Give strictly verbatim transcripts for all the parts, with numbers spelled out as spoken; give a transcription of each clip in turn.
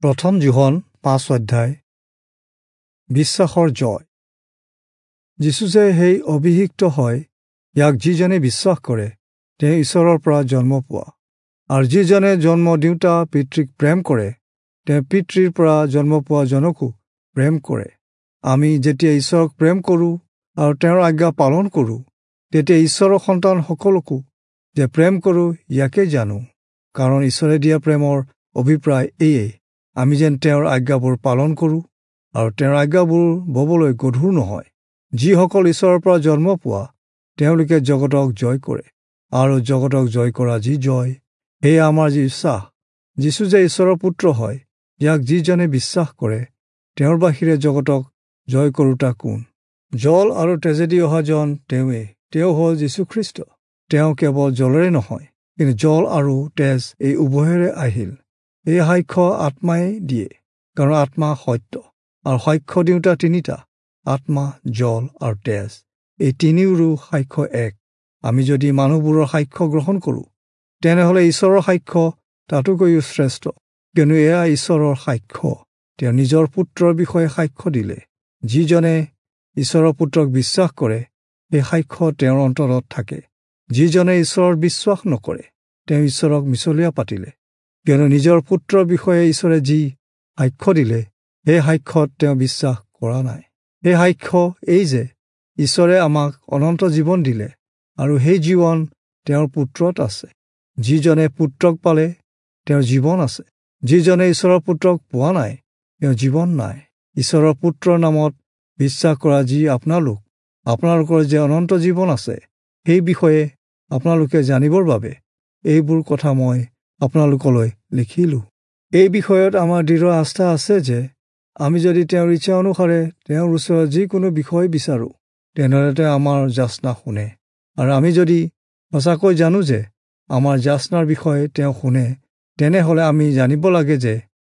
প্ৰথম যোহন পাঁচ অধ্যায়। বিশ্বাসৰ জয়। যীচু যে সেই অভিষিক্ত হয়, ইয়াক যিজনে বিশ্বাস কৰে তেওঁ ঈশ্বৰৰ পৰা জন্ম পোৱা, আৰু যিজনে জন্ম দিওঁতা পিতৃক প্ৰেম কৰে তেওঁ পিতৃৰ পৰা জন্ম পোৱা জনকো প্ৰেম কৰে। আমি যেতিয়া ঈশ্বৰক প্ৰেম কৰোঁ আৰু তেওঁৰ আজ্ঞা পালন কৰোঁ, তেতিয়া ঈশ্বৰৰ সন্তানসকলকো যে প্ৰেম কৰোঁ ইয়াকে জানো। কাৰণ ঈশ্বৰে দিয়া প্ৰেমৰ অভিপ্ৰায় এয়ে, আমি যেন তেওঁৰ আজ্ঞাবোৰ পালন কৰোঁ আৰু তেওঁৰ আজ্ঞাবোৰ ববলৈ গধুৰ নহয়। যিসকল ঈশ্বৰৰ পৰা জন্ম পোৱা তেওঁলোকে জগতক জয় কৰে, আৰু জগতক জয় কৰা যি জয়, সেয়া আমাৰ যি বিশ্বাস। যীচু যে ঈশ্বৰৰ পুত্ৰ হয়, ইয়াক যিজনে বিশ্বাস কৰে তেওঁৰ বাহিৰে জগতক জয় কৰোঁতা কোন? জল আৰু তেজেদি অহাজন তেওঁৱেই, তেওঁ হ'ল যীশুখ্ৰীষ্ট। তেওঁ কেৱল জলেৰে নহয়, কিন্তু জল আৰু তেজ এই উভয়েৰে আহিল। এই সাক্ষ্য আত্মাই দিয়ে, কাৰণ আত্মা সত্য, আৰু সাক্ষ্য দিওঁতা তিনিটা, আত্মা, জল আৰু তেজ, এই তিনিওৰো সাক্ষ্য এক। আমি যদি মানুহবোৰৰ সাক্ষ্য গ্ৰহণ কৰোঁ, তেনেহ'লে ঈশ্বৰৰ সাক্ষ্য তাতোকৈও শ্ৰেষ্ঠ, কিয়নো এয়া ঈশ্বৰৰ সাক্ষ্য। তেওঁ নিজৰ পুত্ৰৰ বিষয়ে সাক্ষ্য দিলে। যিজনে ঈশ্বৰৰ পুত্ৰক বিশ্বাস কৰে, সেই সাক্ষ্য তেওঁৰ অন্তৰত থাকে। যিজনে ঈশ্বৰত বিশ্বাস নকৰে, তেওঁ ঈশ্বৰক মিছলীয়া পাতিলে, কিয়নো নিজৰ পুত্ৰৰ বিষয়ে ঈশ্বৰে যি সাক্ষ্য দিলে, সেই সাক্ষ্যত তেওঁ বিশ্বাস কৰা নাই। সেই সাক্ষ্য এই যে ঈশ্বৰে আমাক অনন্ত জীৱন দিলে, আৰু সেই জীৱন তেওঁৰ পুত্ৰত আছে। যিজনে পুত্ৰক পালে তেওঁৰ জীৱন আছে, যিজনে ঈশ্বৰৰ পুত্ৰক পোৱা নাই তেওঁৰ জীৱন নাই। ঈশ্বৰৰ পুত্ৰৰ নামত বিশ্বাস কৰা যি আপোনালোক, আপোনালোকৰ যে অনন্ত জীৱন আছে, সেই বিষয়ে আপোনালোকে জানিবৰ বাবে এইবোৰ কথা মই আপোনালোকলৈ লিখিলোঁ। এই বিষয়ত আমাৰ দৃঢ় আস্থা আছে যে আমি যদি তেওঁৰ ইচ্ছা অনুসাৰে তেওঁৰ ওচৰত যিকোনো বিষয় বিচাৰোঁ, তেনেহ'লে তেওঁ আমাৰ যাচনা শুনে। আৰু আমি যদি সঁচাকৈ জানো যে আমাৰ যাচনাৰ বিষয়ে তেওঁ শুনে, তেনেহ'লে আমি জানিব লাগে যে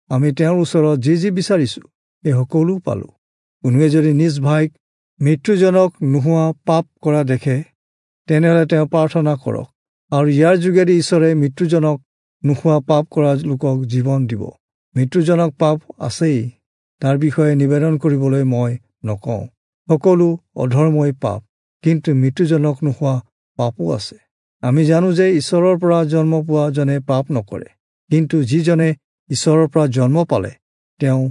আমি তেওঁৰ ওচৰত যি যি বিচাৰিছোঁ সেই সকলো পালোঁ। কোনোৱে যদি নিজ ভাইক মৃত্যুজনক নোহোৱা পাপ কৰা দেখে, তেনেহ'লে তেওঁ প্ৰাৰ্থনা কৰক, আৰু ইয়াৰ যোগেদি ঈশ্বৰে মৃত্যুজনক নোহোৱা পাপ কৰা লোকক জীৱন দিব। মৃত্যুজনক পাপ আছেই, তাৰ বিষয়ে নিবেদন কৰিবলৈ মই নকওঁ। সকলো অধৰ্মই পাপ, কিন্তু মৃত্যুজনক নোহোৱা পাপো আছে। আমি জানো যে ঈশ্বৰৰ পৰা জন্ম পোৱা জনে পাপ নকৰে, কিন্তু যিজনে ঈশ্বৰৰ পৰা জন্ম পালে তেওঁ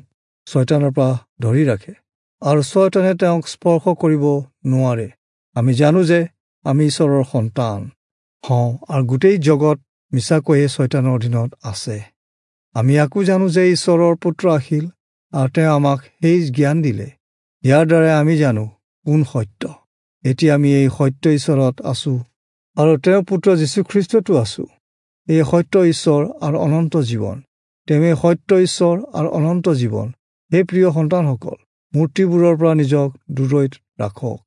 ছয়তানৰ পৰা ধৰি ৰাখে, আৰু ছয়তানে তেওঁক স্পৰ্শ কৰিব নোৱাৰে। আমি জানো যে আমি ঈশ্বৰৰ সন্তান হওঁ, আৰু গোটেই জগত মিছাকৈয়ে ছয়তানৰ অধীনত আছে। আমি আকৌ জানো যে ঈশ্বৰৰ পুত্ৰ আহিল আৰু তেওঁ আমাক সেই জ্ঞান দিলে। ইয়াৰ দ্বাৰাই আমি জানো কোন সত্য। এতিয়া আমি এই সত্য ঈশ্বৰত আছোঁ আৰু তেওঁৰ পুত্ৰ যীশুখ্ৰীষ্টতো আছোঁ। এই সত্য ঈশ্বৰ আৰু অনন্ত জীৱন, তেওঁৱেই সত্য ঈশ্বৰ আৰু অনন্ত জীৱন। সেই প্ৰিয় সন্তানসকল, মূৰ্তিবোৰৰ পৰা নিজক দূৰৈত ৰাখক।